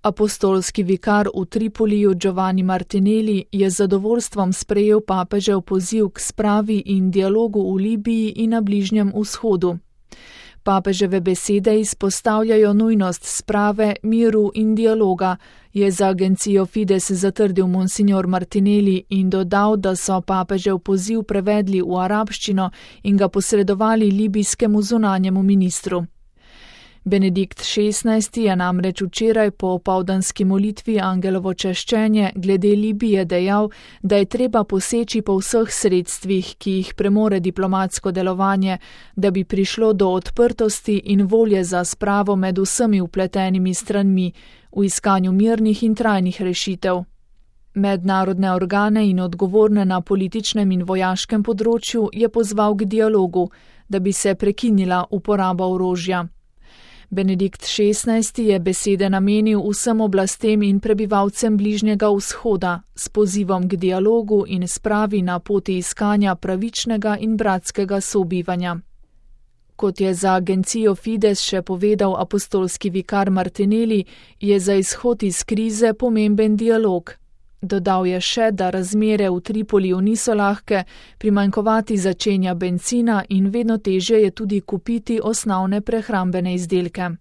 Apostolski vikar v Tripoliju Giovanni Martinelli je z zadovoljstvom sprejel papežev poziv k spravi in dialogu v Libiji in na Bližnjem vzhodu. Papeževe besede izpostavljajo nujnost sprave, miru in dialoga, je za agencijo Fides zatrdil monsignor Martinelli in dodal, da so papežev poziv prevedli v arabščino in ga posredovali libijskemu zunanjemu ministru. Benedikt XVI je namreč včeraj po opoldanski molitvi Angelovo čaščenje glede Libije dejal, da je treba poseči po vseh sredstvih, ki jih premore diplomatsko delovanje, da bi prišlo do odprtosti in volje za spravo med vsemi vpletenimi stranmi v iskanju mirnih in trajnih rešitev. Mednarodne organe in odgovorne na političnem in vojaškem področju je pozval k dialogu, da bi se prekinila uporaba orožja. Benedikt XVI je besede namenil vsem oblastem in prebivalcem Bližnjega vzhoda s pozivom k dialogu in spravi na poti iskanja pravičnega in bratskega sobivanja. Kot je za agencijo Fides še povedal apostolski vikar Martinelli, je za izhod iz krize pomemben dialog. Dodal je še, da razmere v Tripoliju niso lahke, primanjkovati začenja bencina in vedno težje je tudi kupiti osnovne prehrambene izdelke.